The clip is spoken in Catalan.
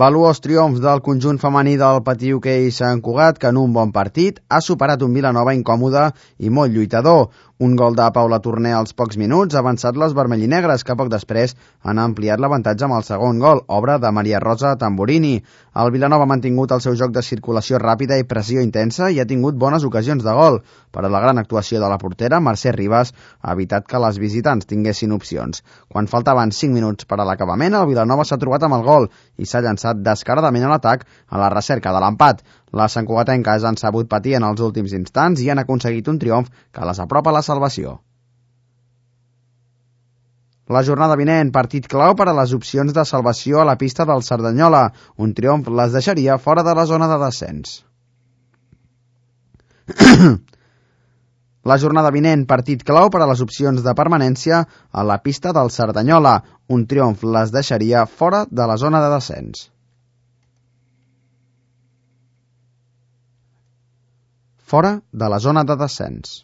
Valuós triomf del conjunt femení del Patí Hoquei Sant Cugat, que en un bon partit ha superat un Vilanova incòmode i molt lluitador. Un gol de Paula Torner als pocs minuts ha avançat les vermellinegres, que poc després han ampliat l'avantatge amb el segon gol, obra de Maria Rosa Tamburini. El Vilanova ha mantingut el seu joc de circulació ràpida i pressió intensa i ha tingut bones ocasions de gol, però la gran actuació de la portera, Mercè Ribas, ha evitat que les visitants tinguessin opcions. Quan faltaven 5 minuts per a l'acabament, el Vilanova s'ha trobat amb el gol i s'ha llançat descaradament a l'atac a la recerca de l'empat. Les santcugatenques han sabut patir en els últims instants i han aconseguit un triomf que les apropa a la salvació. La jornada vinent, partit clau per a les opcions de salvació a la pista del Cerdanyola. Un triomf les deixaria fora de la zona de descens. La jornada vinent, partit clau per a les opcions de permanència a la pista del Cerdanyola. Un triomf les deixaria fora de la zona de descens. Fora de la zona de descens.